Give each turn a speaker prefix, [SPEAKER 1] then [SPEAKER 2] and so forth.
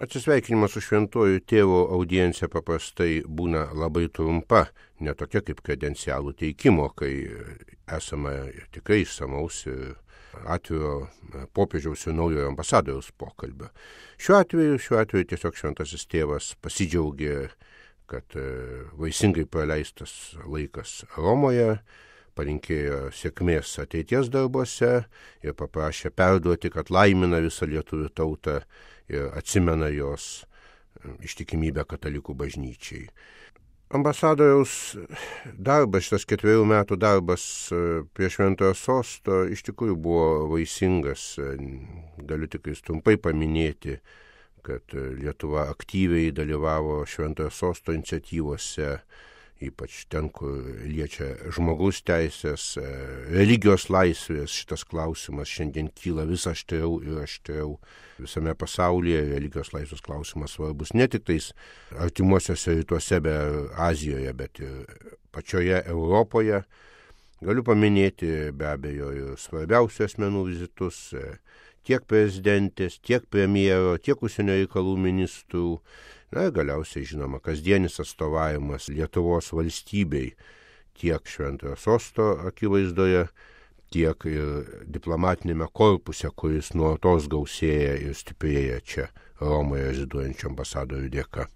[SPEAKER 1] Atsisveikinimas su šventuoju tėvu audiencija paprastai būna labai trumpa, ne tokia kaip kredencialų teikimo, kai esama tikrai išsamaus ir atviro popiežiaus ir naujojo ambasadoriaus pokalbio. Šiuo atveju tiesiog šventasis tėvas pasidžiaugė, kad vaisingai praleistas laikas Romoje, palinkėjo sėkmės ateities darbuose ir paprašė perduoti, kad laimina visą lietuvių tautą ir atsimena jos ištikimybę katalikų bažnyčiai. Ambasadoriaus darbas, šitas 4 metų darbas prie Šventojo Sosto iš tikrųjų buvo vaisingas. Galiu tik trumpai paminėti, kad Lietuva aktyviai dalyvavo Šventojo Sosto iniciatyvose, ypač ten, kur liečia žmogaus teisės, religijos laisvės. Šitas klausimas šiandien kyla vis aštriau ir aštriau visame pasaulyje. Religijos laisvės klausimas svarbus ne tik tais artimuosiuose rytuose, bet Azijoje, bet ir pačioje Europoje. Galiu paminėti be abejo ir svarbiausių asmenų vizitus, tiek prezidentės, tiek premjero, tiek užsienio reikalų ministrų. Na ir galiausiai, žinoma, kasdienis atstovavimas Lietuvos valstybei tiek Šventojo Sosto akivaizdoje, tiek ir diplomatinėme korpuse, kuris nuolatos gausėja ir stiprėja čia Romoje reziduojančių ambasadorių dėka.